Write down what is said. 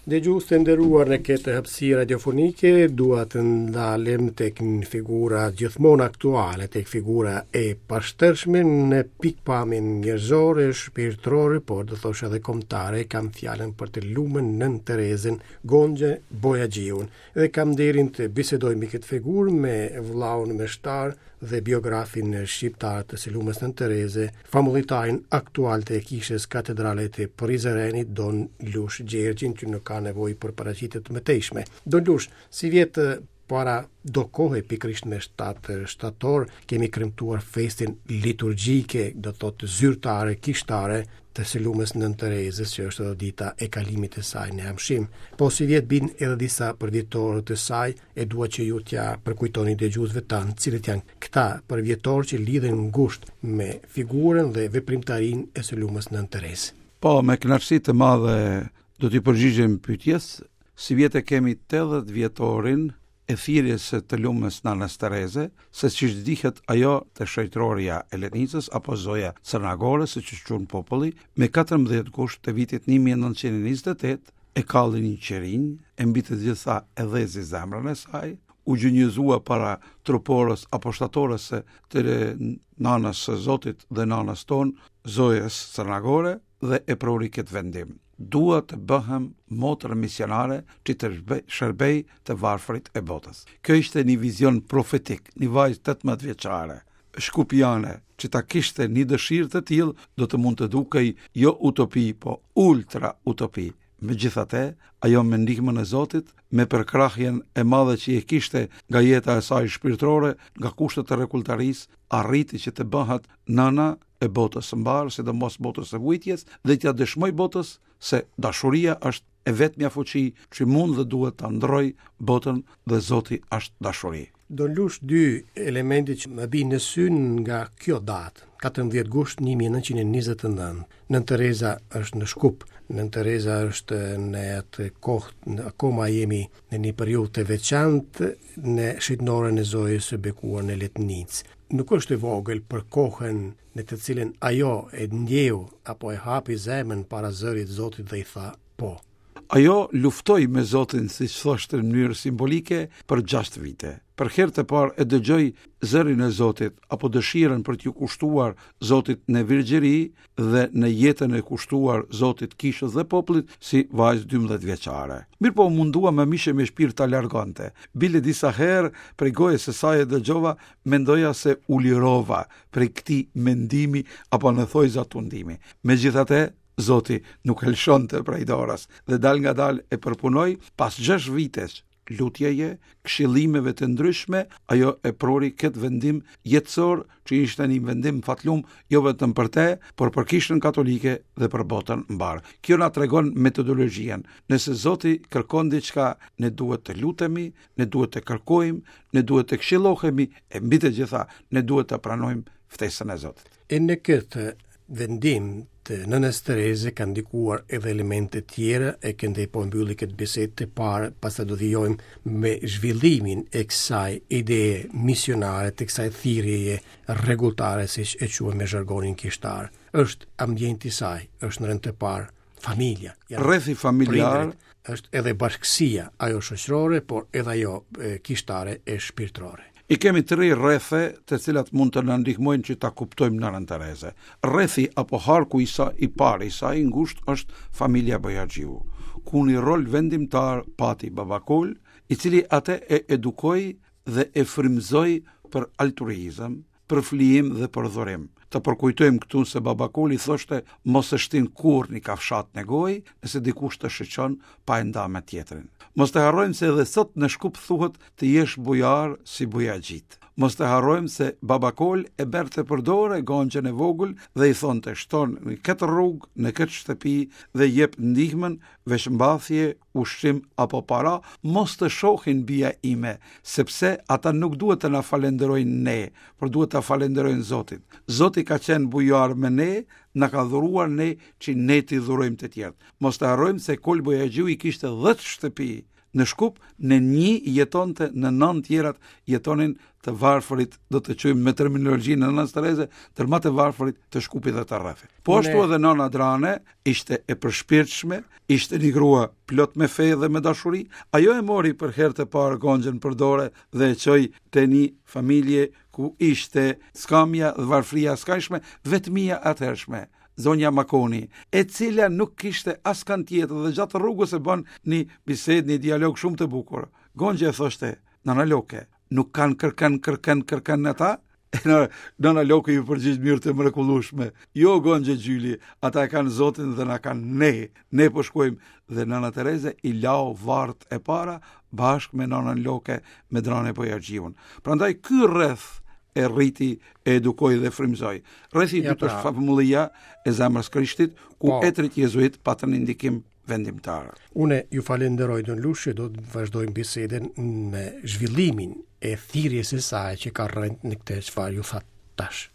Dëgjues të nderuar në këtë hapësirë radiofonike, dua të ndalem tek një figura gjithmonë aktuale, tek figura e pashtershme në pikëpamjen njerëzore, shpirtërore, por do thosha edhe kombëtare, kam fjalën për të lumën Nënë Terezën, Gonxhe Bojaxhiun. Dhe kam nderin të bisedoj mbi këtë figurë me vëllaun meshtar dhe biografin shqiptar të së lumës Nënë Tereze, famullitarin aktual të Kishës Katedrale të Prizrenit, Don Lush Gjergjin, që nuk ka nevojë për paraqitje të mëtejshme. Don Lush, sivjet para do kohe pikërisht me 7 shtator kemi kremtuar festën liturgjike, do të thotë zyrtare, kishtare të së lumës Nënë Terezës, që është edhe dita e kalimit të saj në amshim. Po sivjet bin edhe disa përvjetorë të saj, e dua që ju t'ia përkujtoni dëgjuesve tanë, cilët janë këta përvjetorë që lidhen ngushtë me figurën dhe veprimtarinë e së lumës Nënë Terezë. Po, me kënaqësi të madhe do t'i përgjigjem pyetjes. Sivjet e kemi 80 vjetorin e thirrjes së të lumës Nanës Tereze, se siç dihet ajo te shenjtorja e Letnicës apo Zoja Crna Gore, siç e quan populli, me 14 gusht të vitit 1928 e kalli një qirinj, e mbi të gjitha e dhezi zemrën e saj, u gjunjëzua para truporës apo shtatores së të nanës së Zotit dhe nanës tonë, Zojës Crna Gore, dhe e pruri këtë vendim. Dua të bëhem motër misionare që të shërbej të varfrit e botës. Kjo ishte një vizion profetik, një vajzë 18 vjeçare, shkupjane, që ta kishte një dëshirë të tillë, do të mund të dukej jo utopi, po ultra utopi. Megjithatë, ajo me ndihmën e Zotit, me përkrahjen e madhe që e kishte nga jeta e saj shpirtërore, nga kushtet e rregulltarisë, arriti që të bëhet nëna e botës së mbarë, sidomos botës së vujtjes, dhe t'ia dëshmojë botës se dashuria është e vetmja fuqi që mund dhe duhet ta ndrojë botën dhe Zoti është dashuri. Don Lush dy elemente që më bien në sy nga kjo datë, 14 gusht 1929. Nënë Tereza është në Shkup, Nënë Tereza është në atë kohë, akoma jemi në një periudhë të veçantë në shenjtnoren e Zojës së Bekuar në Letnicë. Nuk është e vogël për kohën në të cilën ajo e ndjeu apo e hapi zemrën para zërit Zotit dhe i tha po. Ajo luftoi me Zotin, siç thoshte në mënyrë simbolike, për 6 vite. Për herë të parë e dëgjoi zërin e Zotit apo dëshirën për t'iu kushtuar Zotit në virgjëri dhe në jetën e kushtuar Zotit, kishës dhe popullit si vajzë 12 vjeçare. Mirëpo u mundua me mish e me shpirt ta largonte. Bile disa herë prej gojës së saj e dëgjova, mendoja se u lirova prej këtij mendimi apo në thojza tundimi. Megjithatë, Zoti nuk e lëshonte prej dorës dhe dalëngadalë e përpunoi pas 6 vitesh lutjeje, këshillimeve të ndryshme, ajo e pruri këtë vendim jetësor që ishte një vendim fatlum jo vetëm për te, por për kishën katolike dhe për botën mbarë. Kjo na tregon metodologjinë. Nëse Zoti kërkon diçka, ne duhet të lutemi, ne duhet të kërkojmë, ne duhet të këshillohemi e mbi të gjitha ne duhet të pranojmë ftesën e Zotit. E në këtë vendim të Nënës Tereze kanë ndikuar edhe elemente të tjera e këndej po mbylli këtë bisedë të parë, pastaj do vijojmë me zhvillimin e kësaj ideje misionare të kësaj thirrjeje rregulltare siç e quajmë me zhargonin kishtar. Është ambienti i saj, është në rend të parë familja. Rrethi familjar është edhe bashkësia, ajo shoqërore, por edhe ajo e, kishtare e shpirtërore. I kemi tri rrethe të cilat mund të na ndihmojnë që ta kuptojmë Nënën Tereze. Rrethi apo harku i saj i parë i saj i ngushtë është familja Bojaxhiu, ku një rol vendimtar pati Baba Kol, i cili atë e edukoi dhe e frymëzoi për altruizëm, për flijim dhe për dhurim. Të përkujtojmë këtu se Baba Koli thoshte mos e shtin kurrë një kafshatë në gojë, nëse dikush të shiqon pa e nda me tjetrin. Mos të harrojmë se edhe sot në Shkup thuhet të jesh bujar si bujaxhit. Mos të harrojmë se Baba Kol e merrte për dore Gonxhen e vogël dhe i thonte shton në këtë rrugë, në këtë shtëpi dhe jep ndihmën, veshmbathje, ushqim apo para, mos të shohin bija ime, sepse ata nuk duhet të na falenderojnë ne, por duhet ta falenderojnë Zotin. Zoti ka qenë bujar me ne, na ka dhuruar ne që ne t'i dhurojmë të tjerët. Mos të harrojmë se Kol Bojaxhiu i kishte 10 shtëpi. Në Shkup, në një jetonte, në nëntë tjerat jetonin të varfërit, do të quajmë me terminologjinë e Nënës Tereze, ndër më të varfërit të Shkupit dhe të rrethit. Po ashtu edhe Nëna Drane ishte e përshpirtshme, ishte një grua plot me fe dhe me dashuri. Ajo e mori për herë të parë Gonxhen për dore dhe e çoi te një familje ku ishte skamja dhe varfëria e skajshme, vetmia e atëhershme. Zonja Makoni, e cila nuk kishte askënd tjetër dhe gjatë rrugës e bën një bisedë, një dialog shumë të bukur. Gonxhja i thoshte, Nana Loke, nuk kanë kërkën, kërkën, kërkën ata? E nëna Loke iu përgjigj në mënyrë të mrekullueshme. Jo Gonxhe Gjyli, ata e kanë Zotin dhe na kanë ne. Ne po shkojmë dhe Nëna Tereze i lau varrët e para bashkë me Nënën Loke me Drane Bojaxhiun. Prandaj ky rreth e rriti, e edukoi dhe frymëzoi. Rrethi i dytë pra. është famullia e zemrës Krishtit, ku po. etërit jezuit patën një ndikim vendimtar. Unë ju falenderoj Don Lush, do të vazhdojmë bisedën në zhvillimin e thirrjes së saj që ka rrënjë në këtë çfarë ju thatë tash.